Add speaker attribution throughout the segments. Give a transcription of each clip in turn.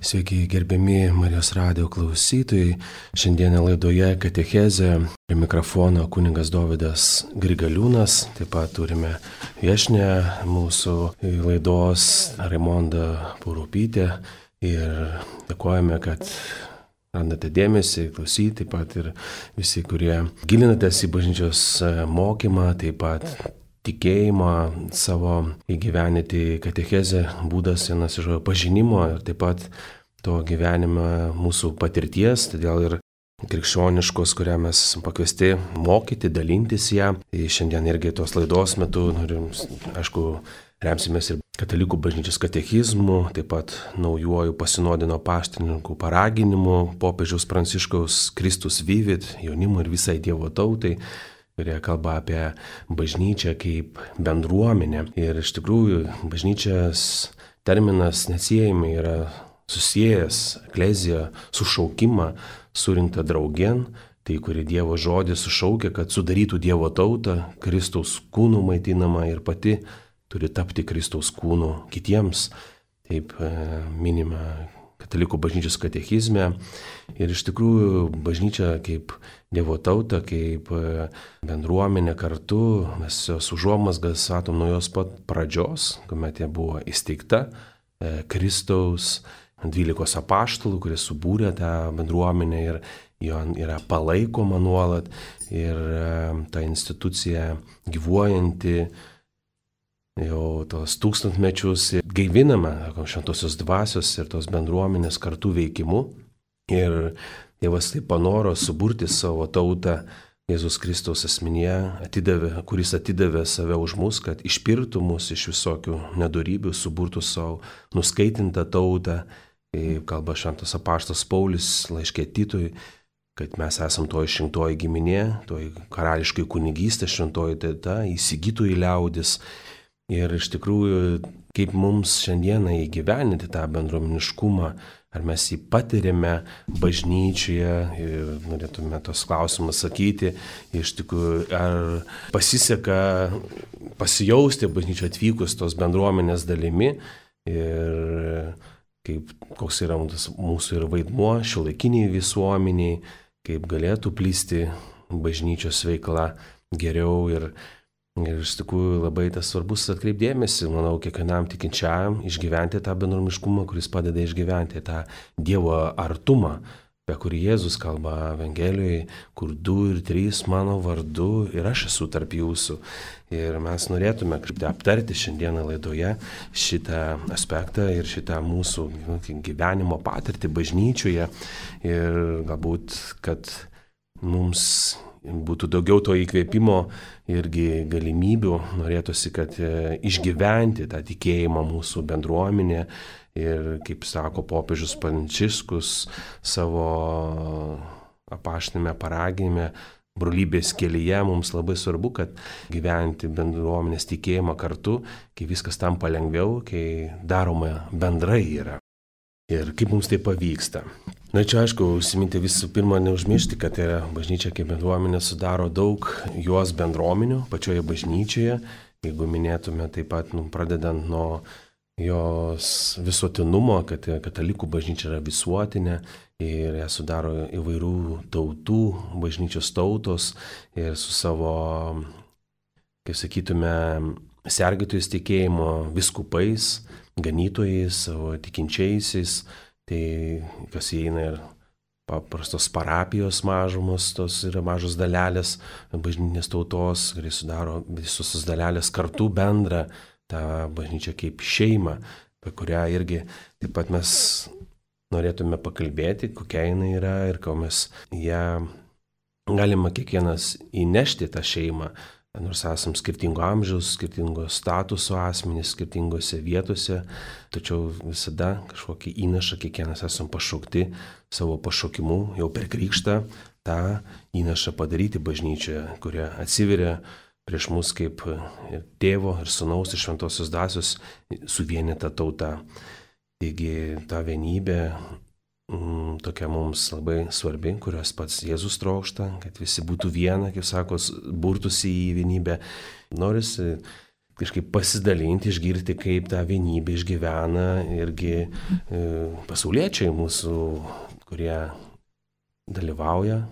Speaker 1: Sveiki, gerbiami Marijos radijo klausytojai. Šiandieną laidoje Katechezė prie mikrofono kunigas Dovydas Grigaliūnas. Taip pat turime viešnią mūsų laidos Raimondą Purupytę. Ir dėkojame, kad randate dėmesį, klausyti, taip pat ir visi, kurie gilinatės į bažnyčios mokymą, taip pat tikėjimą savo įgyvenyti. Katechezė būdas vienas iš pažinimo ir taip pat to gyvenime mūsų patirties, todėl ir krikščioniškos, kurią mes pakviesti mokyti, dalintis ją. Tai šiandien irgi tos laidos metu norim, aišku, remsimės ir katalikų bažnyčios katechizmu, taip pat naujuoju pasinodino paštininkų paraginimu popiežiaus Pranciškaus Kristus Vivit jaunimui ir visai Dievo tautai, kurie kalba apie bažnyčią kaip bendruomenę. Ir iš tikrųjų bažnyčios terminas neatsiejamai yra susijęs ekleziją sušaukimą surinktą draugėn, tai kuri Dievo žodis sušaukia, kad sudarytų Dievo tautą, Kristaus kūnų maitinama ir pati turi tapti Kristaus kūnų kitiems. Taip minima katalikų bažnyčios katechizme. Ir iš tikrųjų bažnyčia kaip Dievo tauta, kaip bendruomenė kartu, mes jos užuomazgas matom nuo jos pat pradžios, kuomet jie buvo įsteigta Kristaus 12 apaštalų, kurie subūrė tą bendruomenę ir jo yra palaikoma nuolat. Ir ta institucija gyvuojanti jau tos tūkstantmečius gaivinama šventosios dvasios ir tos bendruomenės kartu veikimu. Ir Dievas taip panoro suburti savo tautą Jėzus Kristaus asmenyje, kuris atidavė save už mus, kad išpirktų mus iš visokių nedorybių, suburtų savo nuskaitintą tautą. Kaip kalba šventas apaštalas Paulius laiške Titui, kad mes esam to išrinktoji giminė, to karališkai kunigystė, šventoji tauta, įsigytojų liaudis. Ir iš tikrųjų, kaip mums šiandieną įgyveninti tą bendruomeniškumą, ar mes jį patiriame bažnyčioje, ir norėtume tos klausimus sakyti, iš tikrųjų, ar pasiseka pasijausti bažnyčioje atvykus tos bendruomenės dalimi ir koks yra mūsų ir vaidmuo šiuolaikiniai visuomeniai, kaip galėtų plysti bažnyčios veikla geriau. Ir iš tikrųjų labai tas svarbus atkreipdėmėsi, manau, kiekvienam tikinčiajam išgyventi tą bendruomeniškumą, kuris padeda išgyventi tą Dievo artumą, apie kurį Jėzus kalba Evangelijoje, kur 2 ir 3 mano vardu ir aš esu tarp jūsų. Ir mes norėtume aptarti šiandieną laidoje šitą aspektą ir šitą mūsų gyvenimo patirtį bažnyčioje. Ir galbūt, kad mums būtų daugiau to įkvėpimo irgi galimybių, norėtųsi, kad išgyventi tą tikėjimą mūsų bendruomenė. Ir kaip sako popiežius Pranciškus savo apaštinėme paraginime, brolybės kelyje, mums labai svarbu, kad gyventi bendruomenės tikėjimą kartu, kai viskas tampa lengviau, kai daroma bendrai yra. Ir kaip mums tai pavyksta. Na čia aišku, užsiminti visų pirma, neužmiršti, kad bažnyčia kaip bendruomenė sudaro daug jos bendruomenių pačioje bažnyčioje. Jeigu minėtume taip pat, pradedant nuo jos visuotinumo, kad katalikų bažnyčia yra visuotinė ir ją sudaro įvairių tautų, bažnyčios tautos ir su savo, kaip sakytume, sergėtojais tikėjimo viskupais, ganytojais, savo tikinčiaisiais, tai kas įeina ir paprastos parapijos mažumos, tos yra mažos dalelės bažnytinės tautos, kurie sudaro visos tos dalelės kartu bendrą tą bažnyčią kaip šeimą, apie kurią irgi taip pat mes norėtume pakalbėti, kokia jinai yra ir ko mes ją galima kiekvienas įnešti tą šeimą. Nors esam skirtingo amžiaus, skirtingo statuso asmenys, skirtingose vietose, tačiau visada kažkokį įnašą kiekvienas esam pašaukti savo pašaukimu jau per krikštą tą įnašą padaryti bažnyčioje, kurie atsiveria prieš mus kaip ir tėvo, ir sūnaus, ir šventosios dvasios suvienyta tauta. Taigi ta vienybė tokia mums labai svarbi, kurios pats Jėzus trokšta, kad visi būtų viena, kaip sako, burtųsi į vienybę. Norisi kažkaip pasidalinti, išgirti, kaip tą vienybę išgyvena irgi pasauliečiai mūsų, kurie dalyvauja,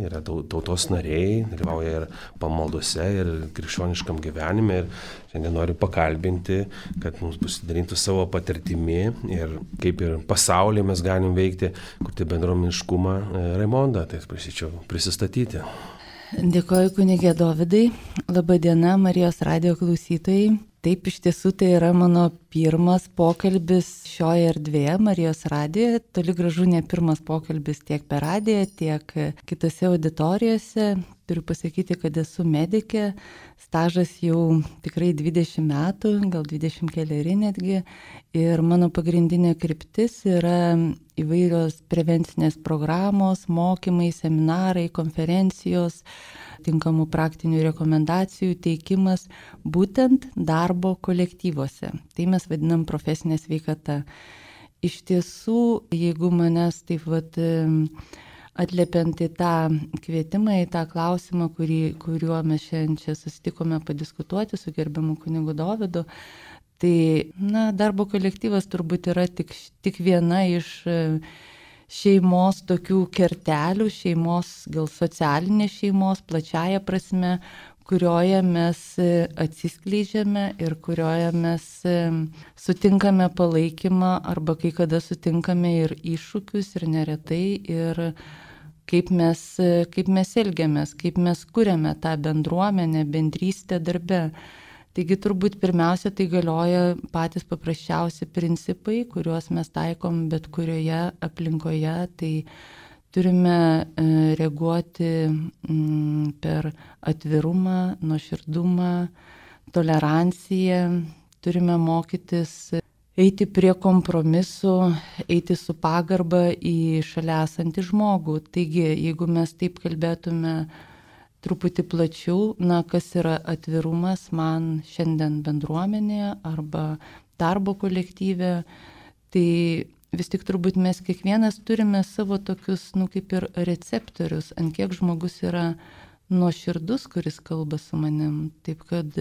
Speaker 1: yra tautos nariai, dalyvauja ir pamaldose, ir krikščioniškam gyvenime. Ir šiandien noriu pakalbinti, kad mums pasidalintų savo patirtimi ir kaip ir pasaulyje mes galim veikti, kurti bendruomeniškumą. Raimondą, tai prašyčiau prisistatyti.
Speaker 2: Dėkoju kunige Dovydai. Labadiena Marijos radijo klausytojai. Taip, iš tiesų tai yra mano pirmas pokalbis šioje erdvėje Marijos radijoje. Toli gražu ne pirmas pokalbis tiek per radiją, tiek kitose auditorijose. Turiu pasakyti, kad esu medikė. Stažas jau tikrai 20 metų, gal 20 keleri netgi. Ir mano pagrindinė kryptis yra įvairios prevencinės programos, mokymai, seminarai, konferencijos, tinkamų praktinių rekomendacijų teikimas būtent darbo kolektyvuose. Tai mes vadinam profesinė sveikata. Iš tiesų, jeigu manęs taip atliepiant į tą kvietimą, į tą klausimą, kuriuo mes šiandien čia susitikome padiskutuoti su gerbiamu kunigu Dovydu, tai darbo kolektyvas turbūt yra tik viena iš šeimos tokių kertelių, šeimos, gal socialinės šeimos, plačiaja prasme, kurioje mes atsiskleidžiame ir kurioje mes sutinkame palaikymą arba kai kada sutinkame ir iššūkius ir neretai ir kaip mes elgiamės, kaip mes kuriame tą bendruomenę, bendrystę darbe. Taigi turbūt pirmiausia tai galioja patys paprasčiausi principai, kuriuos mes taikom bet kurioje aplinkoje. Tai turime reaguoti per atvirumą, nuoširdumą, toleranciją, turime mokytis eiti prie kompromisų, eiti su pagarba į šalia esantį žmogų. Taigi, jeigu mes taip kalbėtume truputį plačiau, kas yra atvirumas man šiandien bendruomenėje arba darbo kolektyve, tai vis tik turbūt mes kiekvienas turime savo tokius, kaip ir receptorius, ant kiek žmogus yra nuoširdus, kuris kalba su manim. Taip kad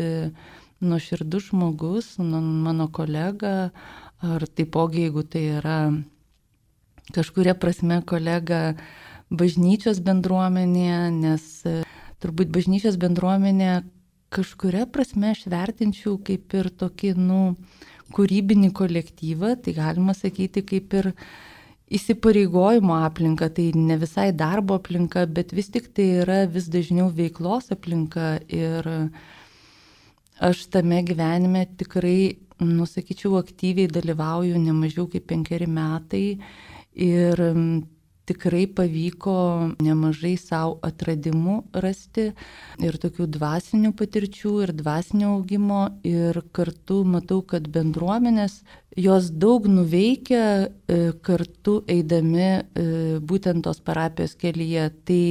Speaker 2: nuoširdus žmogus, mano kolega, ar taipogi, jeigu tai yra kažkuria prasme kolega bažnyčios bendruomenėje, nes turbūt bažnyčios bendruomenė kažkuria prasme aš vertinčiau kaip ir tokį, kūrybinį kolektyvą, tai galima sakyti kaip ir įsipareigojimo aplinka, tai ne visai darbo aplinka, bet vis tik tai yra vis dažniau veiklos aplinka ir aš tame gyvenime tikrai, sakyčiau, aktyviai dalyvauju ne mažiau kaip 5 metai ir tikrai pavyko nemažai savo atradimų rasti ir tokių dvasinių patirčių ir dvasinio augimo ir kartu matau, kad bendruomenės jos daug nuveikia kartu eidami būtent tos parapijos kelyje. Tai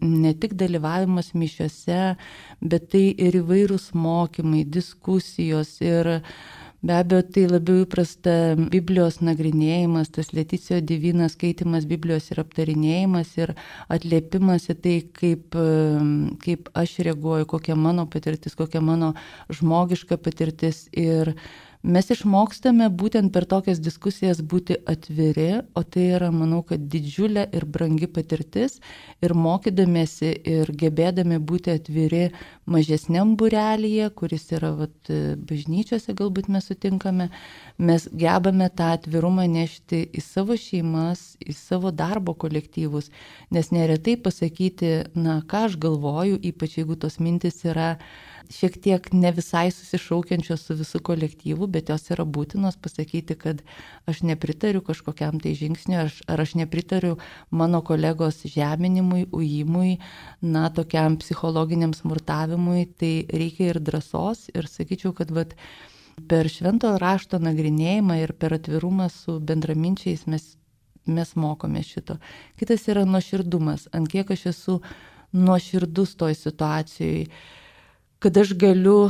Speaker 2: ne tik dalyvavimas mišiose, bet tai ir įvairūs mokymai, diskusijos ir be abejo, tai labiau įprasta Biblijos nagrinėjimas, tas Leticijo Divina skaitimas Biblijos ir aptarinėjimas ir atliepimas į tai, kaip aš reaguoju, kokia mano patirtis, kokia mano žmogiška patirtis. Ir mes išmokstame būtent per tokias diskusijas būti atviri, o tai yra, manau, kad didžiulė ir brangi patirtis. Ir mokydamėsi ir gebėdami būti atviri mažesniam būrelyje, kuris yra bažnyčiose, galbūt mes sutinkame, mes gebame tą atvirumą nešti į savo šeimas, į savo darbo kolektyvus. Nes neretai pasakyti, ką aš galvoju, ypač jeigu tos mintis yra šiek tiek ne visai susišaukiančios su visų kolektyvu, bet jos yra būtinos pasakyti, kad aš nepritariu kažkokiam tai žingsniui, ar aš nepritariu mano kolegos žeminimui, ujimui, tokiam psichologiniam smurtavimui, tai reikia ir drąsos ir sakyčiau, kad per švento rašto nagrinėjimą ir per atvirumą su bendraminčiais mes mokome šito. Kitas yra nuoširdumas, ant kiek aš esu nuoširdus toj situacijai, kad aš galiu,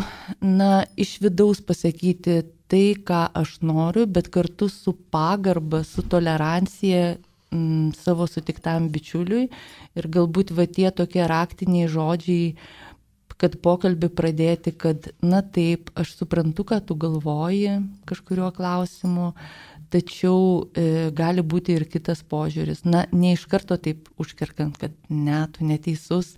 Speaker 2: iš vidaus pasakyti tai, ką aš noriu, bet kartu su pagarba, su tolerancija savo sutiktam bičiuliui. Ir galbūt tie tokie raktiniai žodžiai, kad pokalbį pradėti, kad na taip, aš suprantu, ką tu galvoji kažkuriuo klausimu, tačiau gali būti ir kitas požiūris. Na, ne iš karto taip užkerkant, kad ne, tu neteisus,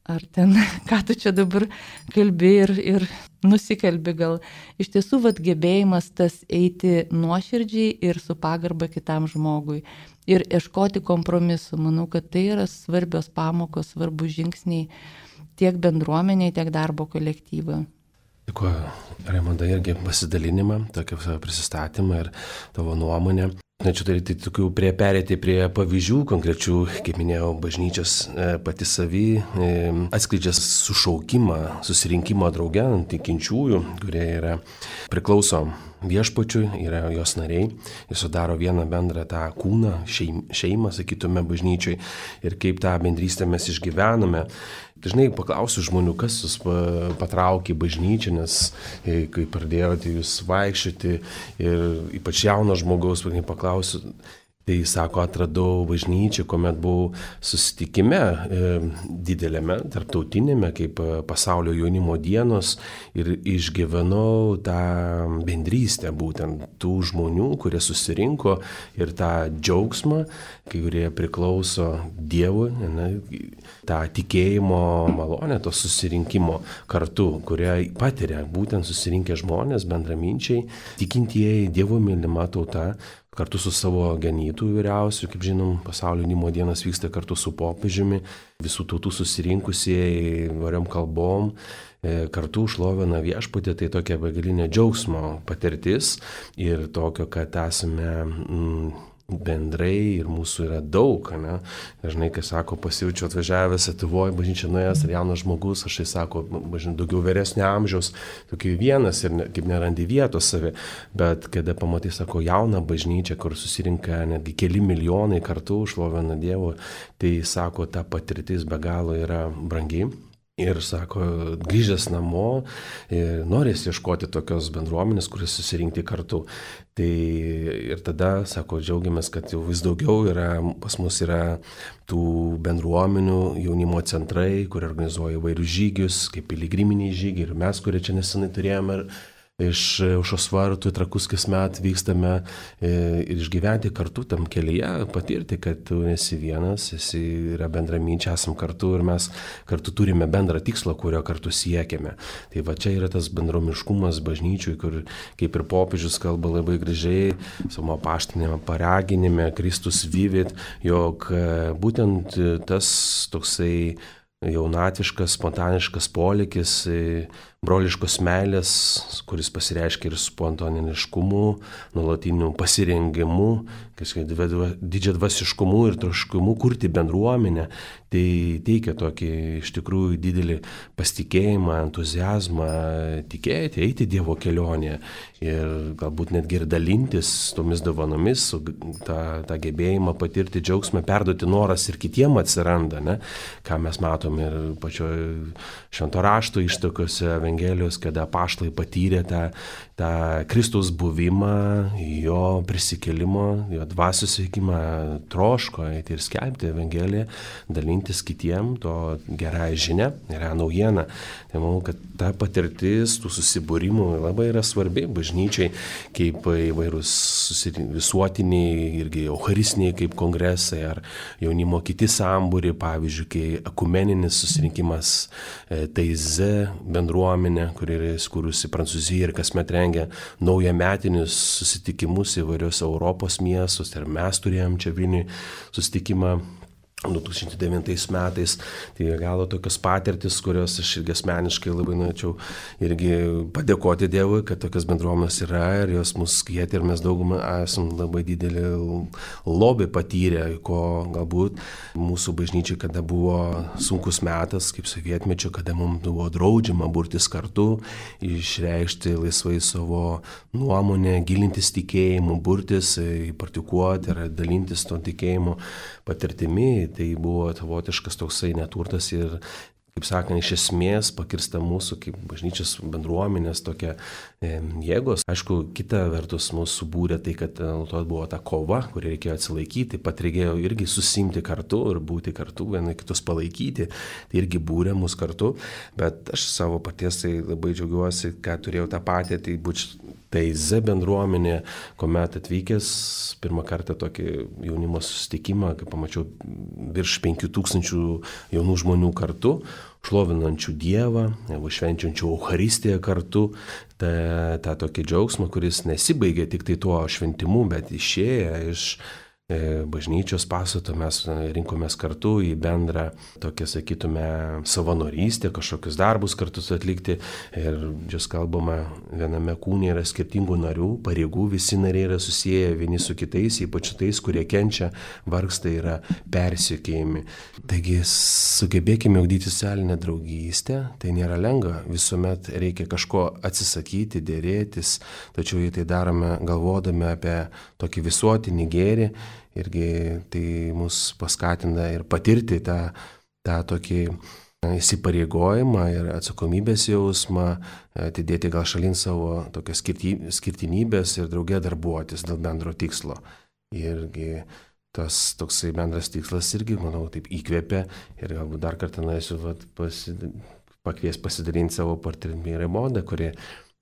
Speaker 2: ar ten, ką tu čia dabar kalbi ir nusikalbi gal. Iš tiesų, gebėjimas tas eiti nuoširdžiai ir su pagarba kitam žmogui. Ir ieškoti kompromisų. Manau, kad tai yra svarbios pamokos, svarbus žingsniai tiek bendruomeniai, tiek darbo kolektyvui.
Speaker 1: Dėkuoju, Raimonda, irgi pasidalinimą, tokį prisistatymą ir tavo nuomonę. Norėčiau daryti tokių perėti prie pavyzdžių konkrečių, kaip minėjau, bažnyčios pati savy atskleidžia sušaukimą, susirinkimo drauge tikinčiųjų, kurie priklauso viešpačiui, yra jos nariai ir sudaro vieną bendrą tą kūną, šeimą, sakytume, bažnyčiai ir kaip tą bendrystę mes išgyvename. Dažnai paklausiu žmonių, kas jūs patraukė į bažnyčią, nes kai pradėjote jūs vaikščioti ir ypač jauno žmogaus, paklausiu, tai sako, atradau bažnyčią, kuomet buvau susitikime didelėme, tarptautinėme, kaip pasaulio jaunimo dienos ir išgyvenau tą bendrystę būtent tų žmonių, kurie susirinko ir tą džiaugsmą, kai kurie priklauso Dievui, tą tikėjimo malonę, to susirinkimo kartu, kurie patiria būtent susirinkę žmonės, bendraminčiai, tikintieji, Dievo mylima tauta, kartu su savo ganytojų vyriausiu, kaip žinom, pasaulio jaunimo dienos vyksta kartu su popiežiumi, visų tautų susirinkusieji variom kalbom, kartu šlovina viešpatį, tai tokia begalinė džiaugsmo patirtis ir tokio, kad esame bendrai ir mūsų yra daug, ne? Dažnai, kai sako, pasijaučiu atvažiavęs Lietuvoje, bažnyčia nuėjęs, ar jaunas žmogus, aš tai sako, daugiau vyresnio amžiaus, tokį vienas ir kaip nerandi vietos savi, bet kada pamatai, sako, jauną bažnyčią, kur susirinka netgi keli milijonai kartu, šlovina Dievą, tai sako, ta patirtis be galo yra brangi. Ir sako, grįžęs namo, norės ieškoti tokios bendruomenės, kuris susirinkti kartu. Tai ir tada, sako, džiaugiamės, kad jau vis daugiau pas mus yra tų bendruomenių, jaunimo centrai, kurie organizuoja įvairius žygius, kaip piligriminiai žygiai. Ir mes, kurie čia nesenai turėjome iš Aušros vartų į Trakus kasmet vykstame ir išgyventi kartu tam kelyje, patirti, kad tu esi vienas, yra bendraminčiai, esam kartu ir mes kartu turime bendrą tikslą, kurio kartu siekiame. Tai va čia yra tas bendromiškumas bažnyčiui, kur kaip ir popiežius kalba labai gražiai, savo apaštinėme paraginime, Kristus vivit, jog būtent tas toksai jaunatviškas, spontaniškas polėkis, broliškos meilės, kuris pasireiškia ir spontaniškumu, nuolatiniu pasirengimu, didžiadvasiškumu ir troškimu kurti bendruomenę, tai teikia tokį iš tikrųjų didelį pasitikėjimą, entuziazmą, tikėti, eiti Dievo kelionėje ir galbūt netgi ir dalintis tomis dovanomis, tą gebėjimą patirti džiaugsmą, perduoti noras ir kitiem atsiranda, ne? Ką mes matome ir pačioje Švento rašto ištakose Evangelijos, kada apaštalai patyrė tą Kristaus buvimą, jo prisikėlimą, jo dvasios veikimą, troško eiti ir skelbti Evangeliją, dalintis kitiem to gerąją žinią, gerąją naujieną. Tai manau, kad ta patirtis tų susibūrimų labai yra svarbi bažnyčiai, kaip įvairūs visuotiniai irgi eucharistiniai kaip kongresai ar jaunimo kiti sambūriai, pavyzdžiui, kai ekumeninis susirinkimas Taize bendruomenė, kuri yra įsikūrusi Prancūzijoje ir kasmet rengia naujametinius susitikimus įvairios Europos miestus, ir mes turėjom čia Vilniuje susitikimą 2009 metais, tai galo tokios patirtis, kurios aš irgi asmeniškai labai norėčiau irgi padėkoti Dievui, kad tokios bendruomenės yra ir jos mus kvietė ir mes daugumą esam labai didelį lobį patyrę, ko galbūt mūsų bažnyčiai, kada buvo sunkus metas, kaip sovietmečio, kada mums buvo draudžiama burtis kartu, išreikšti laisvai savo nuomonę, gilintis tikėjimu, burtis, praktikuoti ir dalintis to tikėjimu patirtimi. Tai buvo savotiškas toksai neturtas ir kaip sakant, iš esmės pakirsta mūsų kaip bažnyčios bendruomenės tokia jėgos. Aišku, kita vertus mūsų būrė tai, kad to buvo ta kova, kuri reikėjo atsilaikyti, taip pat reikėjo irgi susimti kartu ir būti kartu, vieni kitus palaikyti, tai irgi būrė mus kartu, bet aš savo paties tai labai džiaugiuosi, kad turėjau tą patį, tai TZ bendruomenė, kuomet atvykęs pirmą kartą tokį jaunimo susitikimą, kai pamačiau virš 5000 jaunų žmonių kartu, šlovinančių Dievą, švenčiančių Eucharistiją kartu, tą tokį džiaugsmą, kuris nesibaigė tik tai tuo šventimu, bet išėję iš bažnyčios pastato mes rinkomės kartu į bendrą tokią, sakytume, savanorystę, kažkokius darbus kartu atlikti. Ir čia kalbama, viename kūne yra skirtingų narių, pareigų, visi nariai yra susiję vieni su kitais, ypač tais, kurie kenčia, vargsta, yra persekiojami. Taigi sugebėkime ugdyti socialinę draugystę, tai nėra lengva, visuomet reikia kažko atsisakyti, dėrėtis, tačiau jei tai darome galvodami apie tokį visuotinį gėrį, irgi tai mus paskatina ir patirti tą tokį įsipareigojimą ir atsakomybės jausmą, atidėti gal šalin savo tokias skirtinybės ir draugė darbuotis dėl bendro tikslo. Irgi tas toksai bendras tikslas irgi, manau, taip įkvėpia ir galbūt dar kartą norėsiu pakvies pasidalinti savo patirtimi Raimondą, kuri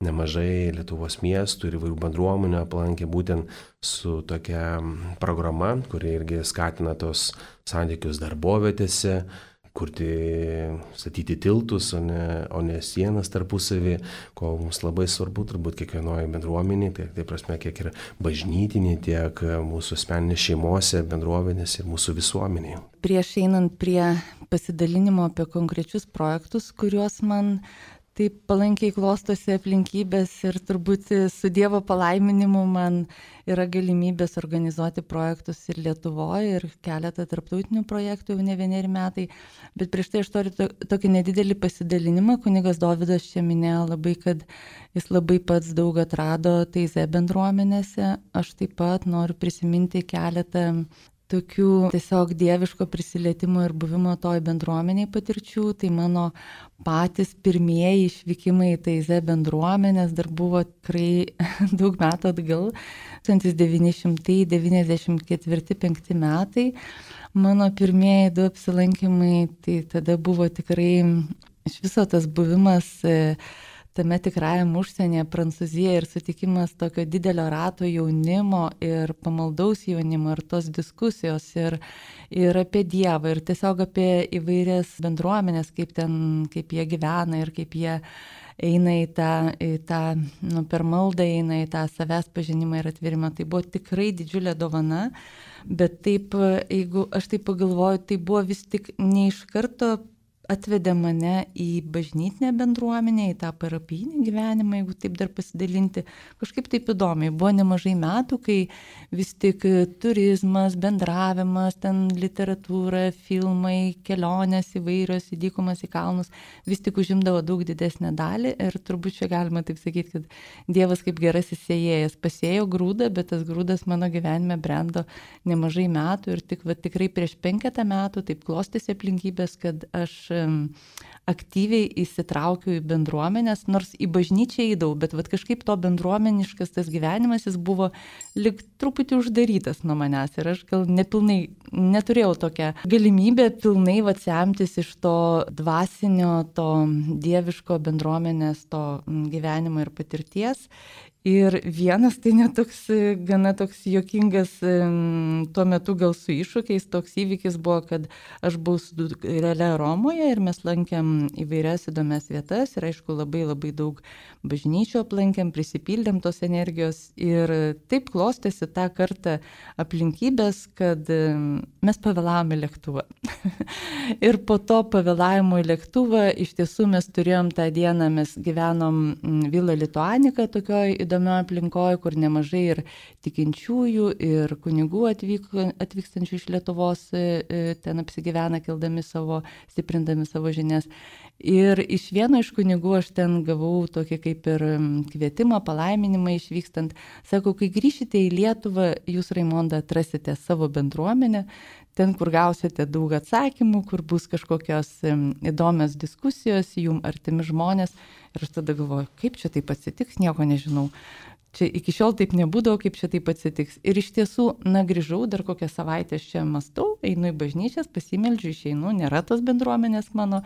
Speaker 1: nemažai Lietuvos miestų ir įvairių bendruomenių aplankė būtent su tokia programa, kuri irgi skatina tos santykius darbovietėse, statyti tiltus, o ne sienas tarpusavį, ko mums labai svarbu turbūt kiekvienoje bendruomenėje, tai prasme kiek ir bažnytinė, tiek mūsų asmeninės šeimose, bendruomenės ir mūsų visuomenėje.
Speaker 2: Prieš einant prie pasidalinimo apie konkrečius projektus, kuriuos man taip palankiai klostosi aplinkybės ir turbūt su Dievo palaiminimu man yra galimybės organizuoti projektus ir Lietuvoje, ir keletą tarptautinių projektų jau ne 1 metai. Bet prieš tai aš turiu tokį nedidelį pasidalinimą. Kunigas Dovydas čia minėjo labai, kad jis labai pats daug atrado TZ bendruomenėse. Aš taip pat noriu prisiminti keletą tokių tiesiog dieviško prisilietimo ir buvimo toj bendruomeniai patirčių. Tai mano patys pirmieji išvykimai į TZ bendruomenės dar buvo tikrai daug metų atgal, 1994-95 metai. Mano pirmieji 2 apsilankymai, tai tada buvo tikrai iš viso tas buvimas tame tikrajam užsienyje, Prancūzijoje, ir sutikimas tokio didelio rato jaunimo ir pamaldaus jaunimo ir tos diskusijos ir apie Dievą ir tiesiog apie įvairias bendruomenės, kaip jie gyvena ir kaip jie eina į tą per maldą eina į tą savęs pažinimą ir atvirimą. Tai buvo tikrai didžiulė dovana, bet taip, jeigu aš taip pagalvoju, tai buvo vis tik ne iš karto atvedė mane į bažnytinę bendruomenę, į tą parapijinį gyvenimą, jeigu taip dar pasidalinti. Kažkaip taip įdomiai. Buvo nemažai metų, kai vis tik turizmas, bendravimas, ten literatūra, filmai, kelionės įvairios į dykumas, į kalnus, vis tik užimdavo daug didesnę dalį ir turbūt čia galima taip sakyti, kad Dievas kaip gerasis sėjėjas pasėjo grūdą, bet tas grūdas mano gyvenime brendo nemažai metų ir tikrai prieš 5 metų taip klostėsi aplinkybės, kad aš aktyviai įsitraukiu į bendruomenės, nors į bažnyčią eidavau, bet kažkaip to bendruomeniškas tas gyvenimas, jis buvo lyg truputį uždarytas nuo manęs ir aš gal nepilnai neturėjau tokią galimybę pilnai semtis iš to dvasinio, to dieviško bendruomenės, to gyvenimo ir patirties. Ir vienas tai netoks, gana toks juokingas tuo metu gal su iššūkiais, toks įvykis buvo, kad aš buvau su dukrele Romoje ir mes lankėm įvairias įdomias vietas ir aišku labai labai daug bažnyčių aplankėm, prisipildėm tos energijos ir taip klostėsi tą kartą aplinkybės, kad mes pavėlavome lėktuvą. Ir po to pavėlavimo į lėktuvą iš tiesų mes turėjom tą dieną, mes gyvenom Vila Lituanika, tokioj įdomiai įdomioje aplinkoje, kur nemažai ir tikinčiųjų, ir kunigų atvykstančių iš Lietuvos ten apsigyvena, stiprindami savo žinias. Ir iš vieno iš kunigų aš ten gavau tokį kaip ir kvietimą, palaiminimą išvykstant. Sako, kai grįšite į Lietuvą, jūs, Raimonda, atrasite savo bendruomenę, ten, kur gausite daug atsakymų, kur bus kažkokios įdomios diskusijos, jum artimi žmonės. Ir aš tada galvoju, kaip čia taip atsitiks, nieko nežinau. Čia iki šiol taip nebūdavo, kaip čia taip atsitiks. Ir iš tiesų, grįžau, dar kokią savaitę čia mąstau, einu į bažnyčias, pasimeldžiu, išeinu, nėra tos bendruomenės mano.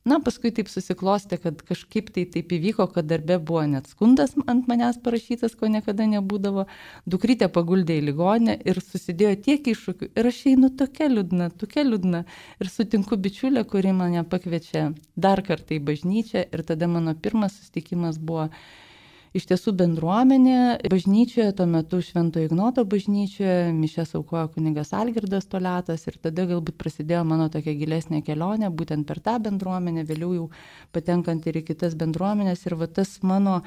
Speaker 2: Paskui taip susiklostė, kad kažkaip tai taip įvyko, kad darbe buvo net skundas ant manęs parašytas, ko niekada nebūdavo. Dukrytė paguldė į ligoninę ir susidėjo tiek iššūkių. Ir aš einu tokia liūdna. Ir sutinku bičiulę, kuri mane pakviečia dar kartą į bažnyčią. Ir tada mano pirmas susitikimas buvo iš tiesų bendruomenė bažnyčioje, tuo metu Švento Ignoto bažnyčioje, mišias aukojo kunigas Algirdas Toliatas ir tada galbūt prasidėjo mano tokia gilesnė kelionė, būtent per tą bendruomenę, vėliau jau patenkant ir į kitas bendruomenės ir va tas mano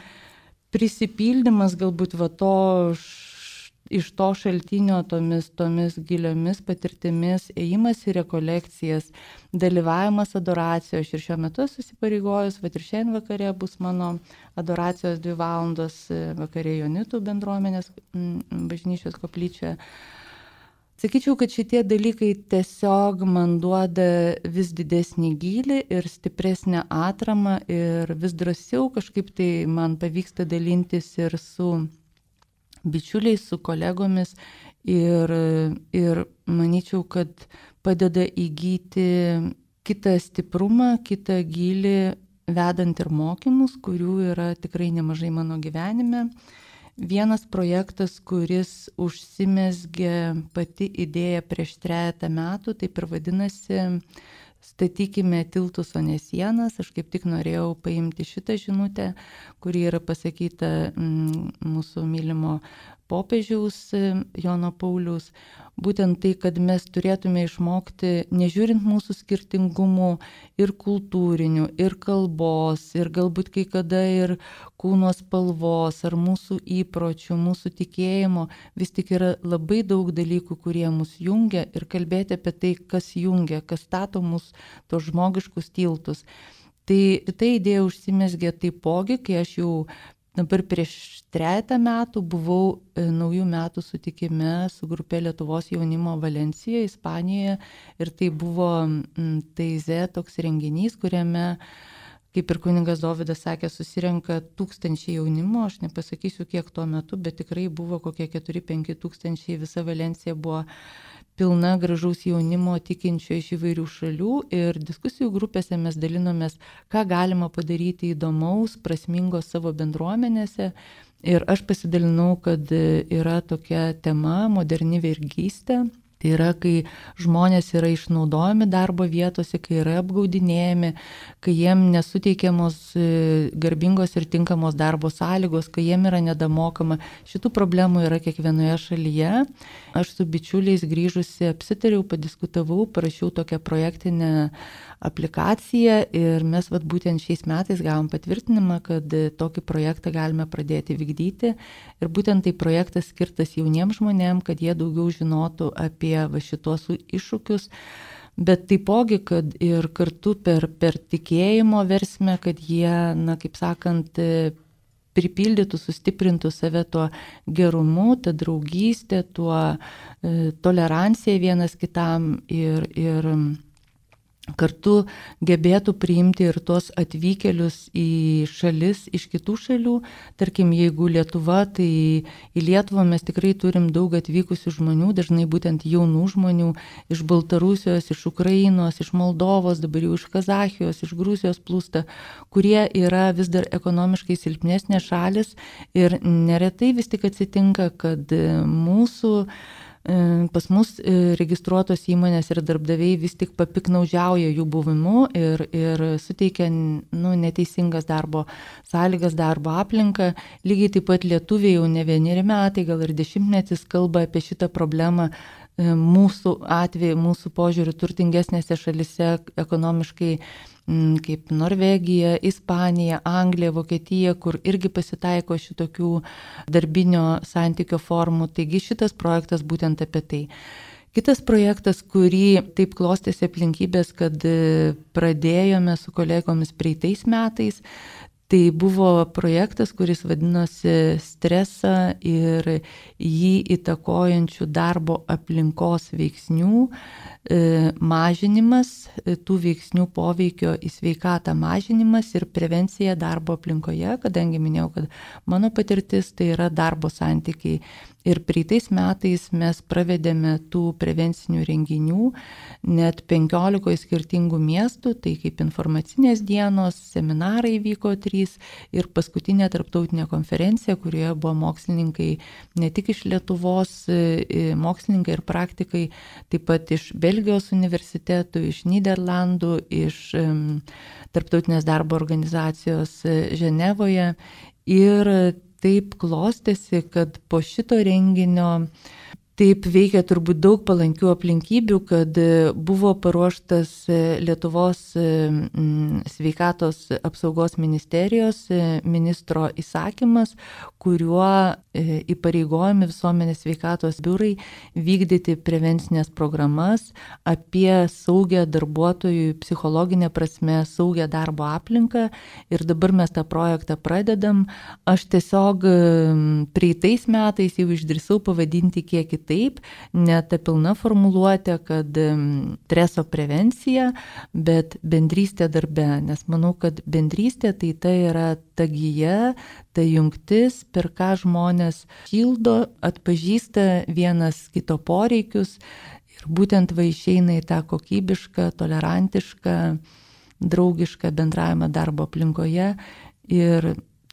Speaker 2: prisipildymas galbūt va to iš to šaltinio tomis giliomis patirtimis, ėjimas į rekolekcijas, dalyvavimas adoracijos. Ir šiuo metu susipareigojus, ir šiandien vakare bus mano adoracijos 2 valandos vakare Jonitų bendruomenės bažnyčios koplyčioje. Sakyčiau, kad šitie dalykai tiesiog man duoda vis didesnį gylį ir stipresnę atramą ir vis drąsiau kažkaip tai man pavyksta dalintis ir su bičiuliais, su kolegomis ir manyčiau, kad padeda įgyti kitą stiprumą, kitą gylį, vedant ir mokymus, kurių yra tikrai nemažai mano gyvenime. Vienas projektas, kuris užsimezgė pati idėja prieš 3 metų, taip ir vadinasi Statykime tiltus, o ne sienas. Aš kaip tik norėjau paimti šitą žinutę, kuri yra pasakyta mūsų mylimo popiežiaus Jono Pauliaus. Būtent tai, kad mes turėtume išmokti, nežiūrint mūsų skirtingumų ir kultūrinių, ir kalbos, ir galbūt kai kada ir kūno spalvos, ar mūsų įpročių, mūsų tikėjimo, vis tik yra labai daug dalykų, kurie mus jungia ir kalbėti apie tai, kas jungia, kas stato mus tos žmogiškus tiltus. Tai šita idėja užsimezgė taipogi, kai aš jau dabar prieš 3 metų buvau naujų metų sutikime su grupė Lietuvos jaunimo Valencijoje, Ispanijoje ir tai buvo Taize toks renginys, kuriame, kaip ir kunigas Dovydas sakė, susirenka 1000 jaunimo, aš nepasakysiu kiek tuo metu, bet tikrai buvo kokie 4-5 tūkstančiai, visa Valencija buvo pilna gražaus jaunimo tikinčio iš įvairių šalių ir diskusijų grupėse mes dalinomės, ką galima padaryti įdomaus, prasmingo savo bendruomenėse. Ir aš pasidalinau, kad yra tokia tema moderni vergystė. Tai yra, kai žmonės yra išnaudojami darbo vietose, kai yra apgaudinėjami, kai jiem nesuteikiamos garbingos ir tinkamos darbo sąlygos, kai jiem yra nedamokama. Šitų problemų yra kiekvienoje šalyje. Aš su bičiuliais grįžusi apsitariau, padiskutavau, parašiau tokią projektinę aplikaciją ir mes būtent šiais metais gavom patvirtinimą, kad tokį projektą galime pradėti vykdyti. Ir būtent tai projektas skirtas jauniems žmonėms, kad jie daugiau žinotų apie šitos iššūkius, bet taipogi, kad ir kartu per tikėjimo versmę, kad jie, kaip sakant, pripildytų, sustiprintų save tuo gerumu, tą draugystę, tuo toleranciją vienas kitam ir kartu gebėtų priimti ir tos atvykėlius į šalis iš kitų šalių. Tarkim, jeigu Lietuva, tai į Lietuvą mes tikrai turim daug atvykusių žmonių, dažnai būtent jaunų žmonių iš Baltarusijos, iš Ukrainos, iš Moldovos, dabar jau iš Kazachijos, iš Gruzijos plūsta, kurie yra vis dar ekonomiškai silpnesnės šalis ir neretai vis tik atsitinka, kad pas mus registruotos įmonės ir darbdaviai vis tik papiknaudžiauja jų buvimu ir suteikia neteisingas darbo sąlygas, darbo aplinką. Lygiai taip pat lietuviai jau ne 1 metai, gal ir 10 kalba apie šitą problemą. Mūsų atveju, mūsų požiūriu turtingesnėse šalise ekonomiškai kaip Norvegija, Ispanija, Anglija, Vokietija, kur irgi pasitaiko šitokių darbinio santykio formų. Taigi šitas projektas būtent apie tai. Kitas projektas, kurį taip klostėsi aplinkybės, kad pradėjome su kolegomis praeitais metais, tai buvo projektas, kuris vadinosi stresą ir jį įtakojančių darbo aplinkos veiksnių mažinimas, tų veiksnių poveikio į sveikatą mažinimas ir prevencija darbo aplinkoje, kadangi minėjau, kad mano patirtis tai yra darbo santykiai. Ir praeitais metais mes pravedėme tų prevencinių renginių net 15 skirtingų miestų, tai kaip informacinės dienos, seminarai vyko 3 ir paskutinė tarptautinė konferencija, kurioje buvo mokslininkai ne tik iš Lietuvos, mokslininkai ir praktikai, taip pat iš Belgijos universitetų, iš Niderlandų, iš tarptautinės darbo organizacijos Ženevoje. Ir taip klostėsi, kad po šito renginio taip veikia turbūt daug palankių aplinkybių, kad buvo paruoštas Lietuvos sveikatos apsaugos ministerijos ministro įsakymas, kuriuo įpareigojami visuomenės sveikatos biurai vykdyti prevencinės programas apie saugę darbuotojų psichologinę prasme, saugę darbo aplinką. Ir dabar mes tą projektą pradedam. Aš tiesiog praeitais metais jau išdrįsau pavadinti kiek kitaip, ne ta pilna formuluotė, kad streso prevencija, bet bendrystė darbe, nes manau, kad bendrystė tai yra ta gija, ta jungtis, per ką žmonės šildo, atpažįsta vienas kito poreikius ir būtent išeina į tą kokybišką, tolerantišką, draugišką bendravimą darbo aplinkoje ir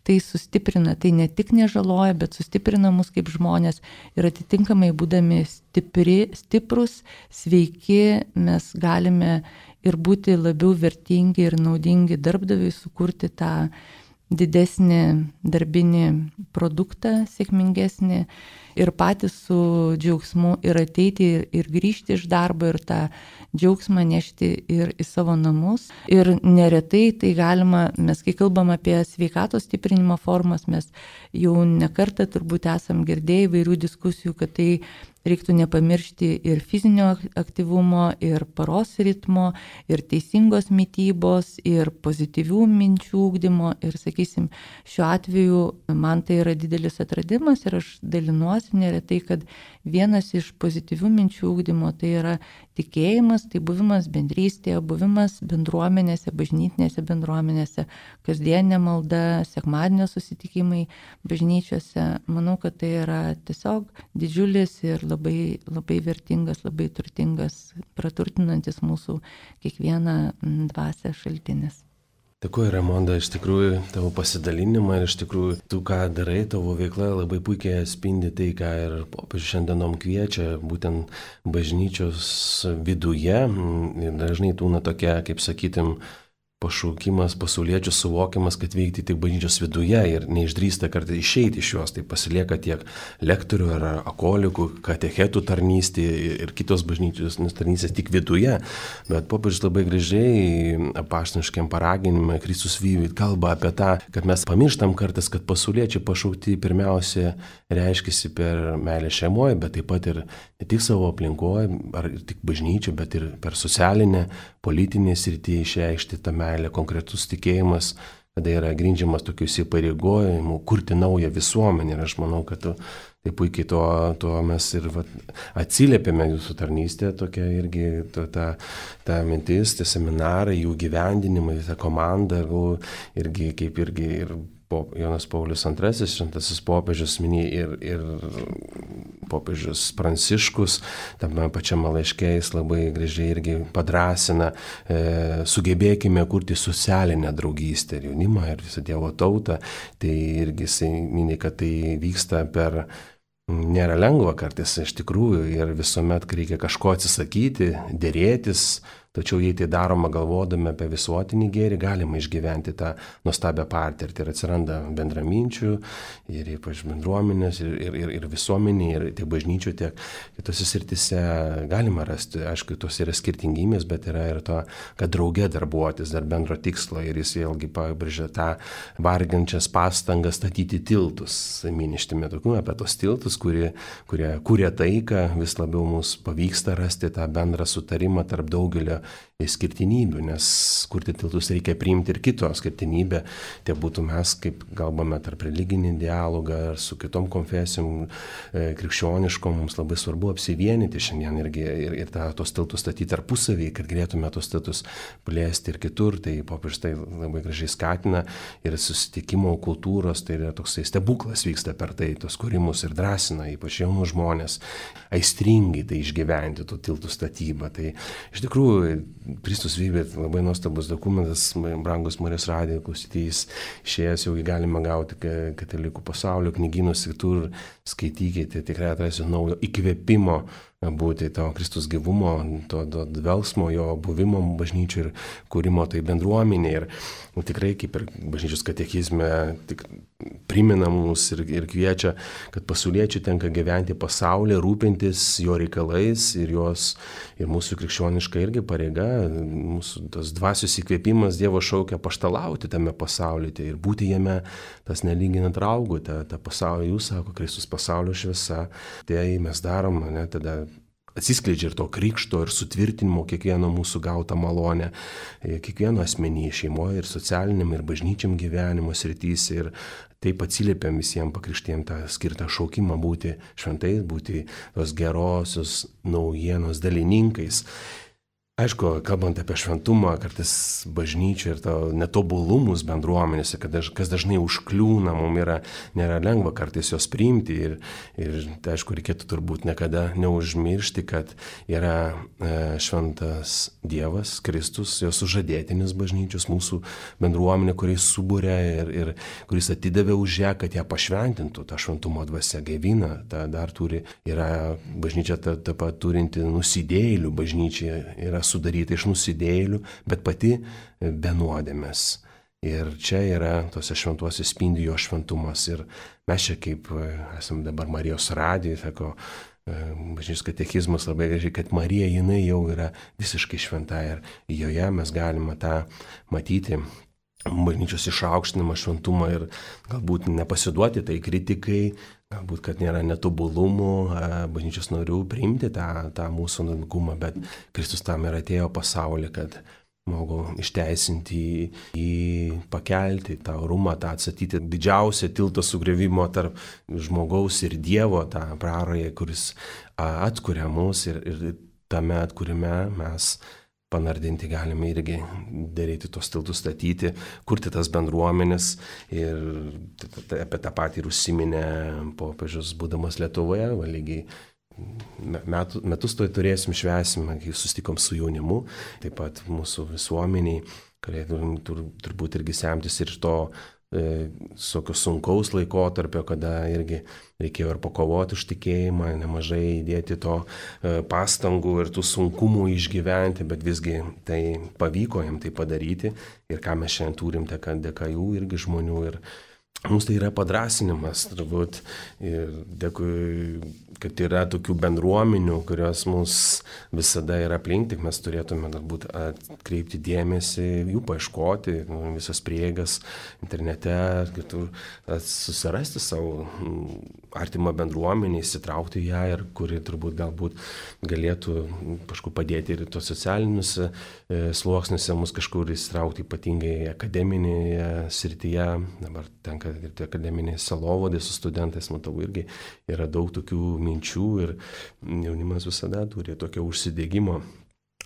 Speaker 2: tai sustiprina, tai ne tik nežaloja, bet sustiprina mus kaip žmonės ir atitinkamai būdami stiprus, sveiki, mes galime ir būti labiau vertingi ir naudingi darbdaviui, sukurti tą didesnį darbinį produktą, sėkmingesnį ir patys su džiaugsmu ir ateiti ir grįžti iš darbo ir tą džiaugsmą nešti ir į savo namus. Ir neretai tai galima, mes kai kalbam apie sveikatos stiprinimo formas, mes jau nekartą turbūt esam girdėję įvairių diskusijų, kad tai reiktų nepamiršti ir fizinio aktyvumo, ir paros ritmo, ir teisingos mitybos, ir pozityvių minčių ugdymo. Ir sakysim, šiuo atveju man tai yra didelis atradimas ir aš dalinuosi neretai, kad vienas iš pozityvių minčių ugdymo tai yra tikėjimas, tai buvimas bendrystėje, buvimas bendruomenėse, bažnytinėse bendruomenėse, kasdienė malda, sekmadienio susitikimai bažnyčiose. Manau, kad tai yra tiesiog didžiulis ir labai, labai vertingas, labai turtingas, praturtinantis mūsų kiekvieną dvasią šaltinis.
Speaker 1: Dėkuoju, Raimonda, iš tikrųjų tavo pasidalinimą ir iš tikrųjų tu, ką darai, tavo veikla labai puikiai atspindi tai, ką ir popiežius šiandienom kviečia, būtent bažnyčios viduje. Ir dažnai tūna tokia, kaip sakytum, pašaukimas, pasauliečių suvokimas, kad veikti tik bažnyčios viduje ir neišdrįsta kartais išeiti iš jos, tai pasilieka tiek lektorių ar akolikų, katechetų tarnystė ir kitos bažnyčios tarnystės tik viduje, bet popiežius labai gražiai apaštališkam paraginime Kristus Vivit kalba apie tą, kad mes pamirštam kartais, kad pasauliečiai pašaukti pirmiausia reiškiasi per meilę šeimoje, bet taip pat ir ne tik savo aplinkoje, ar tik bažnyčių, bet ir per socialinę, politinę sritį išreikšti tą meilę, konkretus tikėjimas, kada yra grindžiamas tokių įsipareigojimų, kurti naują visuomenę. Ir aš manau, kad tai puikiai to mes ir atsiliepėme jūsų tarnystė, tokia irgi ta mintis, tie seminarai, jų gyvendinimai, ta komanda, irgi kaip irgi ir Jonas Paulius II, šventasis popiežius minėjo ir popiežius Pranciškus, tame pačiame laiške jis labai gražiai irgi padrasina, sugebėkime kurti socialinę draugystę ir jaunimą ir visą Dievo tautą. Tai irgi jis minė, kad tai vyksta nėra lengva kartais iš tikrųjų ir visuomet reikia kažko atsisakyti, dėrėtis, Tačiau jei tai daroma galvodami apie visuotinį gėrį, galima išgyventi tą nuostabią patirtį ir atsiranda bendraminčių ir ypač bendruomenės ir visuomenė, ir tiek bažnyčių, tiek kitose srityse galima rasti, aišku, tos yra skirtingybės, bet yra ir to, kad drauge darbuotis dar bendro tikslo ir jis vėlgi pabrėžia tą vargančias pastangas statyti tiltus, miništime tokių apie tos tiltus, kurie kuria taiką, vis labiau mums pavyksta rasti tą bendrą sutarimą tarp daugelio skirtinybių, nes kurti tiltus reikia priimti ir kito skirtinybę, tai būtų mes, kaip kalbame tarp religinį dialogą ar su kitom konfesijom krikščioniškom, mums labai svarbu apsivienyti šiandien ir tos tiltus statyti tarpusavį, kad galėtume tos tiltus plėsti ir kitur, tai popiežius tai labai gražiai skatina ir susitikimo kultūros, tai yra toksai stebuklas vyksta per tai, tos kūrimus ir drąsina, ypač jaunus žmonės, aistringai tai išgyventi, tų tiltų statybą. Tai iš tikrųjų Kristus vybė labai nuostabus dokumentas, brangus Marijos radijo klausytojais, išėjęs jau galima gauti katalikų pasaulio knygynus, kitur skaitykite, tikrai atrasite naujo įkvėpimo būti to Kristus gyvumo, to dvelgsmo, jo buvimo bažnyčių ir kūrimo tai bendruomenė. Ir tikrai kaip ir bažnyčios katekizme tik primena mums ir kviečia, kad pasauliečiai tenka gyventi pasaulyje, rūpintis jo reikalais ir mūsų krikščioniška irgi pareiga, mūsų tas dvasios įkvėpimas Dievo šaukia paštalauti tame pasaulyje ir būti jame, tas nelyginant raugų, tą pasaulį, jūs sako, Kristus pasaulio šviesa, tai mes darom, tada atsiskleidžia ir to krikšto ir sutvirtinimo kiekvieno mūsų gautą malonę, kiekvieno asmenyje, šeimoje ir socialiniam ir bažnyčiam gyvenimo srityse ir taip atsiliepiam visiems pakrikštiem tą skirtą šaukimą būti šventais, būti tos gerosios naujienos dalininkais. Aišku, kalbant apie šventumą, kartais bažnyčia ir to netobulumus bendruomenėse, kas dažnai užkliūna, mums nėra lengva kartais jos priimti ir tai aišku, reikėtų turbūt niekada neužmiršti, kad yra šventas Dievas, Kristus, jos sužadėtinis bažnyčios, mūsų bendruomenė, kuris subūrė ir kuris atidavė už ją, kad ją pašventintų, tą šventumo dvasią gaivina, dar yra bažnyčia taip pat turinti nusidėjėlių bažnyčia, yra sudaryta iš nusidėjėlių, bet pati be nuodėmės. Ir čia yra tose šventuose spindi jo šventumas. Ir mes čia kaip esame dabar Marijos radijoje, sako, bažnyčios katekizmas labai gražiai, kad Marija jinai jau yra visiškai šventa ir joje mes galime tą matyti. Bažnyčios išaukštinimą, šventumą ir galbūt nepasiduoti tai kritikai, galbūt, kad nėra netobulumų, bažnyčios norių priimti tą mūsų nuodėmingumą, bet Kristus tam ir atėjo pasaulį, kad žmogų išteisinti, jį pakelti, tą orumą, tą atstatyti didžiausią tilto sugriovimo tarp žmogaus ir Dievo, tą prarają, kuris atkuria mus ir tame atkūrime mes panardinti galime irgi daryti tos tiltus statyti, kurti tas bendruomenės ir apie tą patį ir užsiminė popiežius būdamas Lietuvoje, lygiai metus to turėsim, švęsim, kai susitikom su jaunimu, taip pat mūsų visuomeniai, kurie turbūt irgi semtis ir to sunkaus laikotarpio, kada irgi reikėjo ir pakovoti už tikėjimą, nemažai įdėti to pastangų ir tų sunkumų išgyventi, bet visgi tai pavyko jam tai padaryti ir ką mes šiandien turim, dėka jų irgi žmonių ir mums tai yra padrasinimas, turbūt, ir dėkui, kad yra tokių bendruomenių, kurios mus visada yra aplink, tik mes turėtume galbūt atkreipti dėmesį, jų paieškoti, visas prieigas internete, kitur, susirasti savo artimą bendruomenį, įsitraukti ją ir kuri turbūt galbūt galėtų kažkur padėti ir tos socialinius sluoksniuose mus kažkur įsitraukti, ypatingai akademinėje srityje, dabar tenka ir akademinėje sielovadai su studentais, matau, irgi yra daug tokių minčių ir jaunimas visada turi tokio užsidegimo.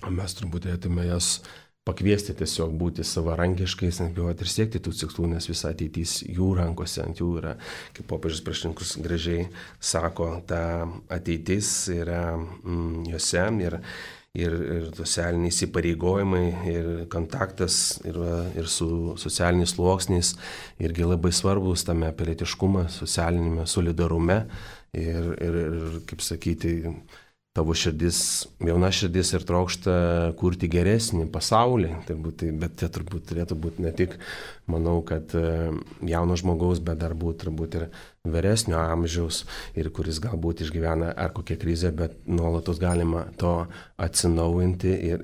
Speaker 1: Mes turbūt turėtume jas pakviesti tiesiog būti savarankiškais, nebijoti ir siekti tų tikslų, nes visa ateitis jų rankose, ant jų yra, kaip popiežius Pranciškus gražiai sako, ta ateitis yra juose ir socialiniai įsipareigojimai ir kontaktas ir su socialiniais sluoksniais irgi labai svarbus tame pilietiškume, socialinėme solidarume ir kaip sakyti, tavo širdis, jauna širdis ir trokšta kurti geresnį pasaulį, bet tai turbūt turėtų būti ne tik, manau, kad jauno žmogaus, bet dar turbūt ir vyresnio amžiaus ir kuris galbūt išgyvena ar kokią krizę, bet nuolatos galima to atsinaujinti ir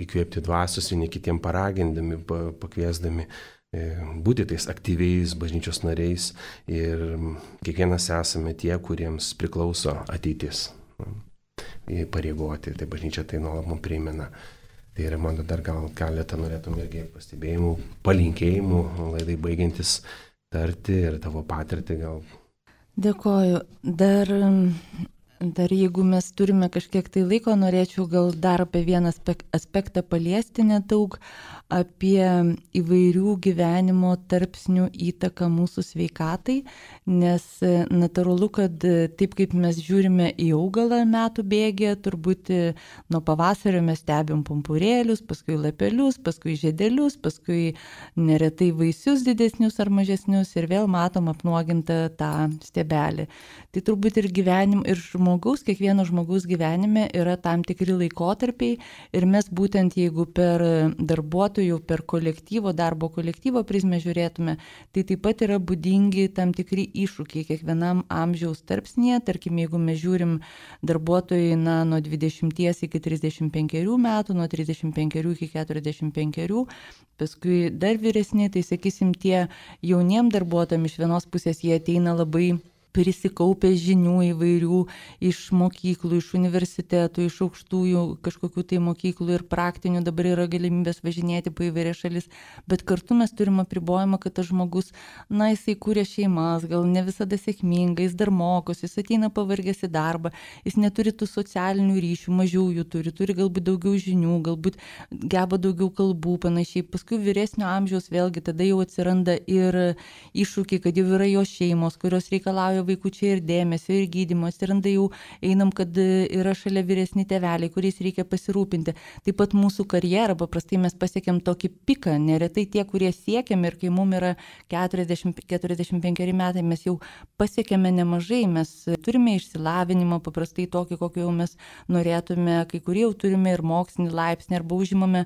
Speaker 1: įkvėpti dvasios vieni kitiem paragindami, pakviesdami būti tais aktyviais bažnyčios nariais ir kiekvienas esame tie, kuriems priklauso ateitis įpareigoti, tai bažnyčia tai nuolat mums primena. Tai yra mano dar gal keletą norėtum irgi pastebėjimų, palinkėjimų, laidai baigiantis tarti ir tavo patirtį gal.
Speaker 2: Dėkoju. Dar jeigu mes turime kažkiek tai laiko, norėčiau gal dar apie vieną aspektą paliesti nedaug, apie įvairių gyvenimo tarpsnių įtaką mūsų sveikatai, nes natūralu, kad taip kaip mes žiūrime į augalą metų bėgėje, turbūt nuo pavasario mes stebim pumpurėlius, paskui lapelius, paskui žiedelius, paskui neretai vaisius didesnius ar mažesnius ir vėl matom apnuogintą tą stiebelį. Tai turbūt ir kiekvieno žmogaus gyvenime yra tam tikri laikotarpiai ir mes būtent jeigu per darbuotojų, per darbo kolektyvo prizmę žiūrėtume, tai taip pat yra būdingi tam tikri iššūkiai kiekvienam amžiaus tarpsnyje. Tarkim, jeigu mes žiūrim darbuotojai nuo 20 iki 35 metų, nuo 35 iki 45, paskui dar vyresni, tai sakysim, tie jauniem darbuotojam iš vienos pusės jie ateina labai prisikaupę žinių įvairių iš mokyklų, iš universitetų, iš aukštųjų kažkokių tai mokyklų ir praktinių, dabar yra galimybės važinėti po įvairias šalis, bet kartu mes turime apribojimą, kad tas žmogus, jisai kūrė šeimas, gal ne visada sėkmingai, jis dar mokosi, jis ateina pavargęs į darbą, jis neturi tų socialinių ryšių, mažiau jų turi galbūt daugiau žinių, galbūt geba daugiau kalbų, panašiai. Paskui vyresnio amžiaus vėlgi tada jau atsiranda ir iššūkiai, kad jau yra jo šeimos, kurios reikalauja vaikučiai ir dėmesio, ir gydymo, atsiranda jau einam, kad yra šalia vyresni tėveliai, kuriais reikia pasirūpinti. Taip pat mūsų karjerą, paprastai mes pasiekėm tokį piką, neretai tie, kurie siekiam ir kai mums yra 40-45 metai, mes jau pasiekėme nemažai, mes turime išsilavinimą, paprastai tokį, kokį jau mes norėtume, kai kurie jau turime ir mokslinį laipsnį, arba užimame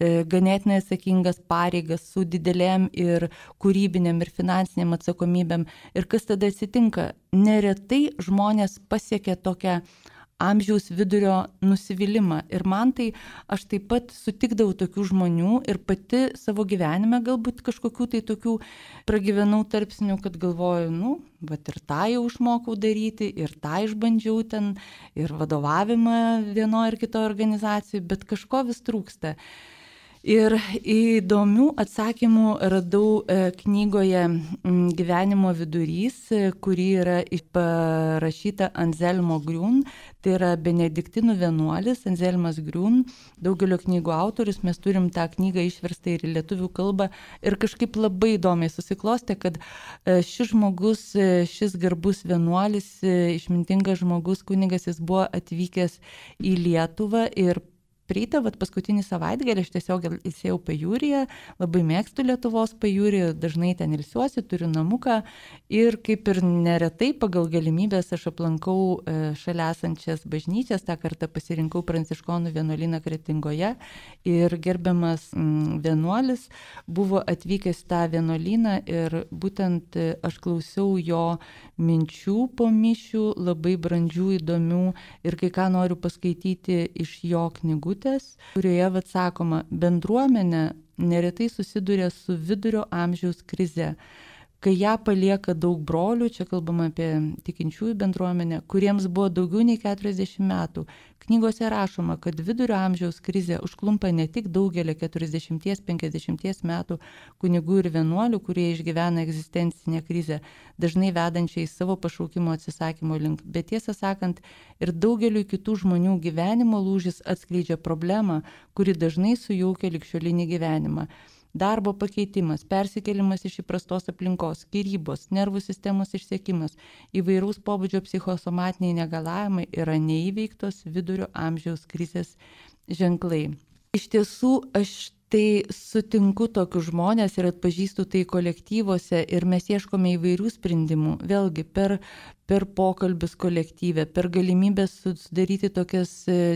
Speaker 2: ganėtinai atsakingas pareigas su didelėm ir kūrybinėm ir finansiniam atsakomybėm. Ir kas tada atsitinka? Neretai žmonės pasiekia tokią amžiaus vidurio nusivylimą. Ir man tai, aš taip pat sutikdavau tokių žmonių ir pati savo gyvenime galbūt kažkokių tai tokių pragyvenau tarpsnių, kad galvoju, ir tą jau išmokau daryti, ir tą išbandžiau ten, ir vadovavimą vienoje ar kitoje organizacijoje, bet kažko vis trūksta. Ir įdomių atsakymų radau knygoje Gyvenimo vidurys, kuri yra parašyta Anselmo Griun, tai yra benediktinų vienuolis Anselmas Griun, daugelio knygų autorius, mes turim tą knygą išverstą ir į lietuvių kalbą ir kažkaip labai įdomiai susiklostė, kad šis žmogus, šis garbus vienuolis, išmintingas žmogus, kunigas, jis buvo atvykęs į Lietuvą ir Praeitą paskutinį savaitgalį aš tiesiog ilsėjau pajūryje, labai mėgstu Lietuvos pajūrį, dažnai ten ilsiuosi, turiu namuką ir kaip ir neretai pagal galimybės aš aplankau šalia esančias bažnyčias, tą kartą pasirinkau Pranciškonų vienuolyną Kretingoje ir gerbiamas vienuolis buvo atvykęs tą vienuolyną ir būtent aš klausiau jo minčių po mišių, labai brandžių, įdomių ir kai ką noriu paskaityti iš jo knygų, kurioje sakoma, bendruomenė neretai susiduria su vidurio amžiaus krize, kai ją palieka daug brolių, čia kalbama apie tikinčiųjų bendruomenę, kuriems buvo daugiau nei 40 metų. Knygose rašoma, kad vidurio amžiaus krizė užklumpa ne tik daugelį 40-50 metų kunigų ir vienuolių, kurie išgyvena egzistencinę krizę, dažnai vedančią į savo pašaukimo atsisakymo link, bet tiesą sakant, ir daugeliu kitų žmonių gyvenimo lūžis atskleidžia problemą, kuri dažnai sujaukia ligšiolinį gyvenimą. Darbo pakeitimas, persikėlimas iš įprastos aplinkos, skyrybos, nervų sistemos išsekimas, įvairaus pobūdžio psichosomatiniai negalavimai yra neįveiktos vidurio amžiaus krizės ženklai. Iš tiesų, aš tai sutinku tokius žmonės ir atpažįstu tai kolektyvuose ir mes ieškome įvairių sprendimų. Vėlgi, per per pokalbius kolektyve, per galimybę sudaryti tokias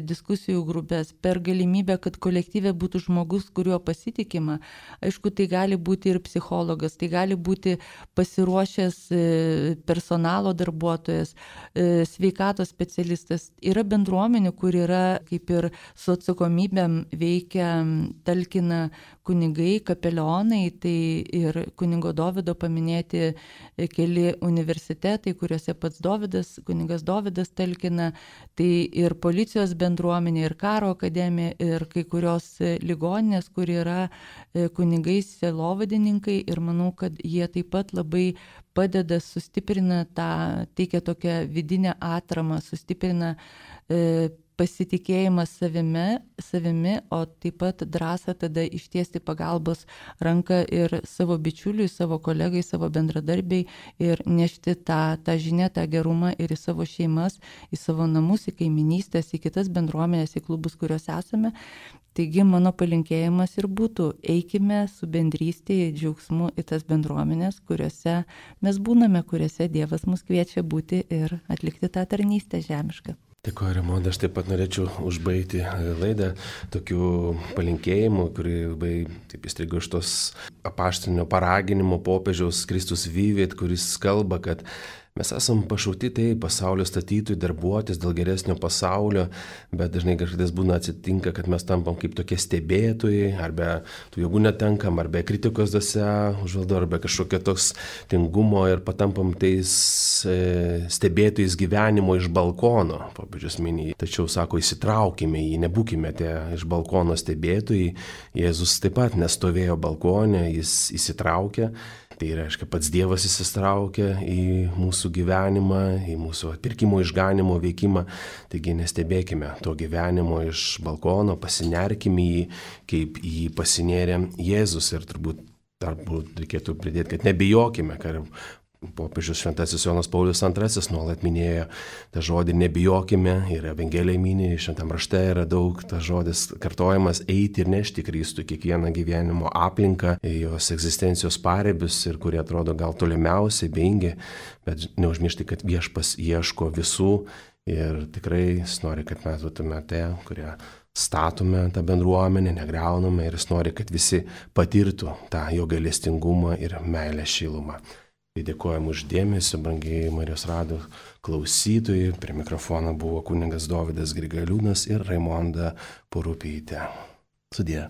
Speaker 2: diskusijų grupės, per galimybę, kad kolektyve būtų žmogus, kuriuo pasitikima. Aišku, tai gali būti ir psichologas, tai gali būti pasiruošęs personalo darbuotojas, sveikatos specialistas. Yra bendruomenių, kur yra kaip ir su atsakomybėm veikia, talkina kunigai, kapelionai, tai ir kunigo Dovydo paminėti keli universitetai, kuriuose pats kunigas Dovydas talkina, tai ir policijos bendruomenė, ir karo akademija, ir kai kurios ligoninės, kur yra kunigai sielovadininkai, ir manau, kad jie taip pat labai padeda, sustiprina teikia tokią vidinę atramą, sustiprina pasitikėjimas savimi, o taip pat drąsą tada ištiesti pagalbos ranką ir savo bičiuliui, savo kolegai, savo bendradarbiai ir nešti tą žinią, tą gerumą ir į savo šeimas, į savo namus, į kaiminystės, į kitas bendruomenės, į klubus, kuriuose esame. Taigi mano palinkėjimas ir būtų, eikime su bendrystė, džiaugsmu į tas bendruomenės, kuriuose mes būname, kuriuose Dievas mus kviečia būti ir atlikti tą tarnystę žemišką.
Speaker 1: Dėkuoju, Raimonda, aš taip pat norėčiau užbaigti laidą tokiu palinkėjimu, kurį labai taip įstrigo iš tos apaštalinio paraginimo popiežiaus Kristus Vivit, kuris kalba, kad mes esam pašaukti tai pasaulio statytojai, darbuotis dėl geresnio pasaulio, bet dažnai kažkas būna atsitinka, kad mes tampam kaip tokie stebėtojai, arba tų jėgų netenkam, arba kritikos dvasia užvaldo, arba kažkokio toks tingumo ir patampam tais stebėtojais gyvenimo iš balkono, popiežius mini. Tačiau sako, įsitraukime jį, nebūkime tie iš balkono stebėtojai. Jėzus taip pat nestovėjo balkone, jis įsitraukė. Tai reiškia, pats Dievas įsitraukia į mūsų gyvenimą, į mūsų atpirkimo išganimo veikimą. Taigi nestebėkime to gyvenimo iš balkono, pasinerkime jį, kaip jį pasinėrė Jėzus. Ir turbūt reikėtų pridėti, kad nebijokime, kad popiežius Šventasis Jonas Paulius II nuolat minėjo tą žodį nebijokime, ir Evangelija mini, Šventam rašte yra daug tas žodis kartojamas, eiti ir nešti Kristų kiekvieną gyvenimo aplinką, jos egzistencijos paribius, ir kurie atrodo gal tolimiausiai, beingi, bet neužmiršti, kad Viešpas ieško visų ir tikrai jis nori, kad mes būtume tie, kurie statome tą bendruomenę, negriauname, ir jis nori, kad visi patirtų tą jo gailestingumą ir meilę šilumą. Dėkojam už dėmesį, brangiai Marijos radijo klausytojai. Prie mikrofono buvo kunigas Dovydas Grigaliūnas ir Raimonda Purupytė. Sudie.